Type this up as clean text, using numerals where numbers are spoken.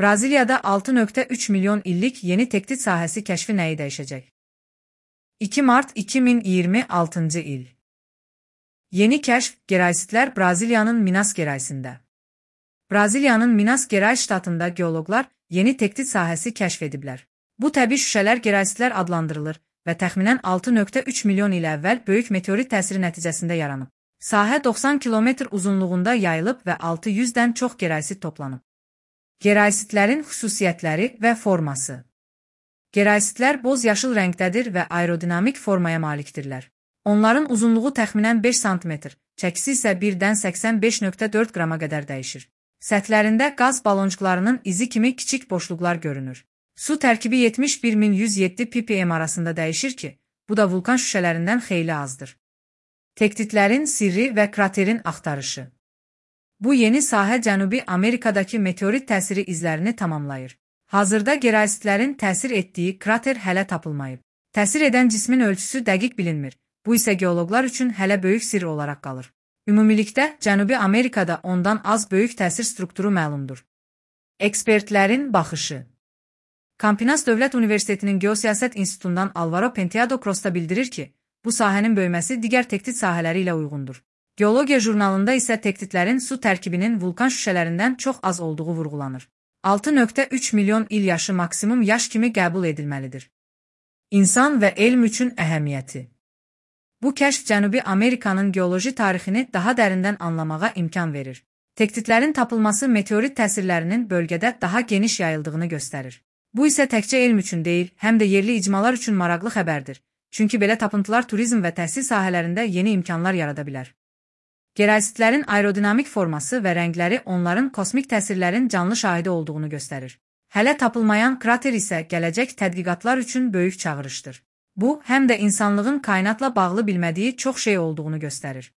Braziliyada 6,3 milyon illik yeni tehdit sahəsi kəşfi nəyi dəyişəcək? 2 mart 2026 il. Yeni kəşf geraysitlər Braziliyanın Minas Geraysində. Braziliyanın Minas Gerais ştatında geoloqlar yeni tehdit sahəsi kəşf ediblər. Bu təbii şüşələr geraysitlər adlandırılır və təxminən 6,3 milyon il əvvəl böyük meteorit təsiri nəticəsində yaranıb. Sahə 90 kilometr uzunluğunda yayılıb və 600-dən çox geraysit toplanıb. Geraysitlərin xüsusiyyətləri və forması. Geraysitlər boz-yaşıl rəngdədir və aerodinamik formaya malikdirlər. Onların uzunluğu təxminən 5 sm, çəkisi isə 1-dən 85,4 qrama qədər dəyişir. Səthlərində qaz balonçuqlarının izi kimi kiçik boşluqlar görünür. Su tərkibi 71.107 ppm arasında dəyişir ki, bu da vulkan şüşələrindən xeyli azdır. Tektitlərin sirri və kraterin axtarışı. Bu yeni sahə Cənubi Amerikadakı meteorit təsiri izlərini tamamlayır. Hazırda geraysitlərin təsir etdiyi krater hələ tapılmayıb. Təsir edən cismin ölçüsü dəqiq bilinmir. Bu isə geoloqlar üçün hələ böyük sirr olaraq qalır. Ümumilikdə, Cənubi Amerikada ondan az böyük təsir strukturu məlumdur. Ekspertlərin baxışı. Campinas Dövlət Universitetinin Geosiyasət İnstitutundan Alvaro Penteado Crosta bildirir ki, bu sahənin böyüməsi digər tehdit sahələri ilə uyğundur. Geologiya jurnalında isə tehditlərin su tərkibinin vulkan şüşələrindən çox az olduğu vurğulanır. 6,3 milyon il yaşı maksimum yaş kimi qəbul edilməlidir. İnsan və elm üçün əhəmiyyəti. Bu kəşf Cənubi Amerikanın geoloji tarixini daha dərindən anlamağa imkan verir. Tehditlərin tapılması meteorit təsirlərinin bölgədə daha geniş yayıldığını göstərir. Bu isə təkcə elm üçün deyil, həm də yerli icmalar üçün maraqlı xəbərdir. Çünki belə tapıntılar turizm və təhsil sahələrində yeni imkanlar yarada bilər. Geraysitlərin aerodinamik forması və rəngləri onların kosmik təsirlərin canlı şahidi olduğunu göstərir. Hələ tapılmayan krater isə gələcək tədqiqatlar üçün böyük çağırışdır. Bu, həm də insanlığın kainatla bağlı bilmədiyi çox şey olduğunu göstərir.